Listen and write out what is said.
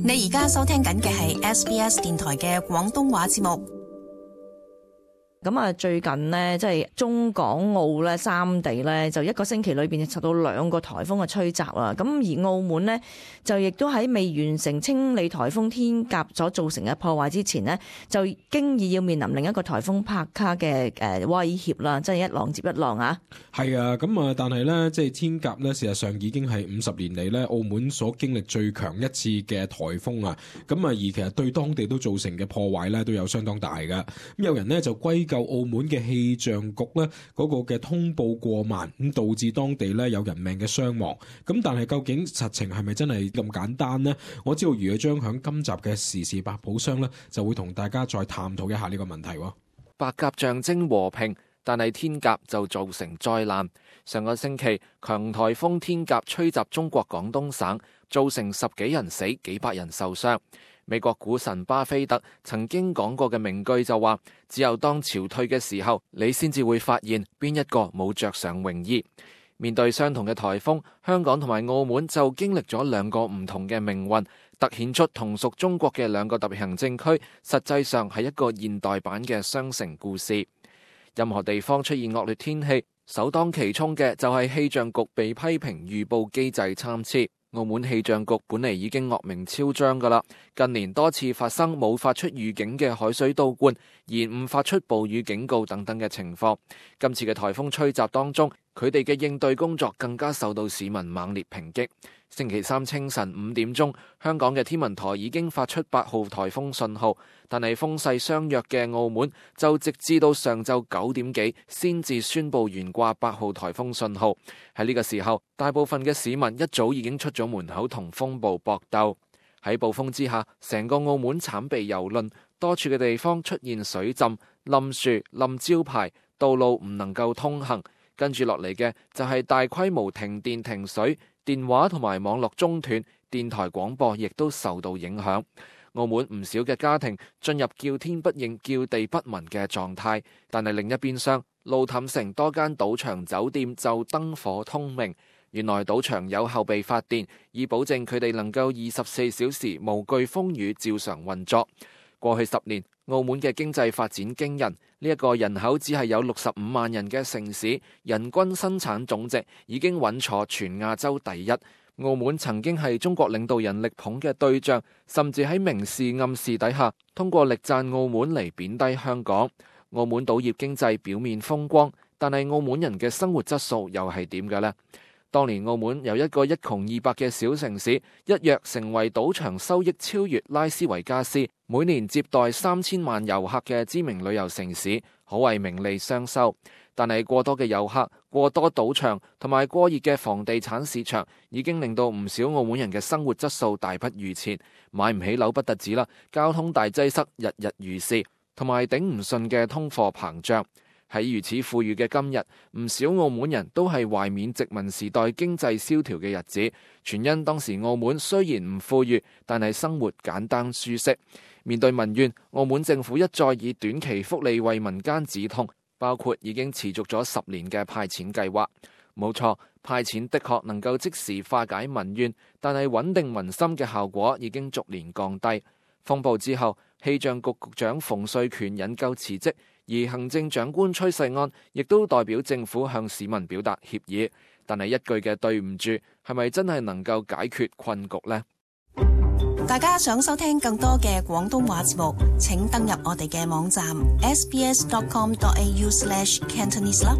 你而家收聽緊嘅係 SBS 電台嘅廣東話節目。咁啊，最近呢，即係中港澳咧三地咧，就一個星期裏邊受到2個颱風嘅吹襲啦。咁而澳門呢，就亦都喺未完成清理颱風天鴿所造成嘅破壞之前呢，就經已要面臨另一個颱風帕卡嘅威脅啦，即係一浪接一浪啊。係啊，咁啊，但係咧，即係天鴿咧，事實上已經係50年嚟咧，澳門所經歷最強一次嘅颱風啊。咁啊，而其實對當地都造成嘅破壞咧，都有相當大㗎。咁有人呢，就歸咎澳門嘅氣象局咧嗰個嘅通報過慢，咁導致當地咧有人命嘅傷亡。咁但係究竟實情係咪真係咁簡單呢？我知道余將響今集嘅時事百寶箱咧，就會同大家再探討一下呢個問題。白鴿象徵和平，但係天鴿就造成災難。上個星期，強颱風天鴿吹襲中國廣東省，造成10幾人死，幾百人受傷。美國股神巴菲特曾經講過嘅名句就話：只有當潮退嘅時候，你先至會發現邊一個冇着上泳衣。面對相同嘅颱風，香港同埋澳門就經歷咗2個唔同嘅命運，凸顯出同屬中國嘅2個特別行政區，實際上係一個現代版嘅雙城故事。任何地方出現惡劣天氣，首當其衝嘅就係氣象局被批評預報機制參差。澳門氣象局本嚟已經惡名昭彰㗎喇，近年多次發生冇發出預警嘅海水倒灌、延誤發出暴雨警告等等嘅情況。今次嘅颱風吹襲當中，佢哋嘅應對工作更加受到市民猛烈抨擊。星期三清晨5點鐘，香港嘅天文台已經發出8號颱風信號，但係風勢相若嘅澳門就直至到上晝9點幾先至宣布懸掛8號颱風信號。喺呢個時候，大部分嘅市民一早已經出咗門口同風暴搏鬥。喺暴風之下，成個澳門慘被蹂躪，多處嘅地方出現水浸、冧樹、冧招牌，道路唔能夠通行。跟住落嚟嘅就係大規模停電停水，電話同埋網絡中斷，電台廣播亦都受到影響。澳門唔少嘅家庭進入叫天不應、叫地不聞嘅狀態，但係另一邊廂，路氹城多間賭場酒店就燈火通明。原來賭場有後備發電，以保證佢哋能夠24小時無懼風雨照常運作。過去10年，澳門嘅經濟發展驚人，呢一個人口只係有65萬人嘅城市，人均生產總值已經穩坐全亞洲第一。澳門曾經係中國領導人力捧嘅對象，甚至喺明示暗示底下，通過力讚澳門嚟貶低香港。澳門賭業經濟表面風光，但係澳門人嘅生活質素又係點嘅呢？當年澳門由一個一窮二白嘅小城市，一躍成為賭場收益超越拉斯維加斯，每年接待3000萬遊客嘅知名旅遊城市，可謂名利雙收。但係過多嘅遊客、過多賭場同埋過熱嘅房地產市場，已經令到唔少澳門人嘅生活質素大不如前，買唔起樓不特止啦，交通大擠塞，日日如是，同埋頂唔順嘅通貨膨脹。喺如此富裕嘅今日，唔少澳門人都係懷緬殖民時代經濟蕭條嘅日子，全因當時澳門雖然唔富裕，但係生活簡單舒適。面對民怨，澳門政府一再以短期福利為民間止痛，包括已經持續咗10年嘅派錢計劃。冇錯，派錢的確能夠即時化解民怨，但係穩定民心嘅效果已經逐年降低。風暴之後，氣象局局長馮瑞權引咎辭職，而行政長官崔世安亦都代表政府向市民表達歉意。但係一句嘅對唔住，係咪真係能夠解決困局呢？大家想收聽更多嘅廣東話節目，請登入我哋嘅網站 sbs.com.au/Cantonese 啦。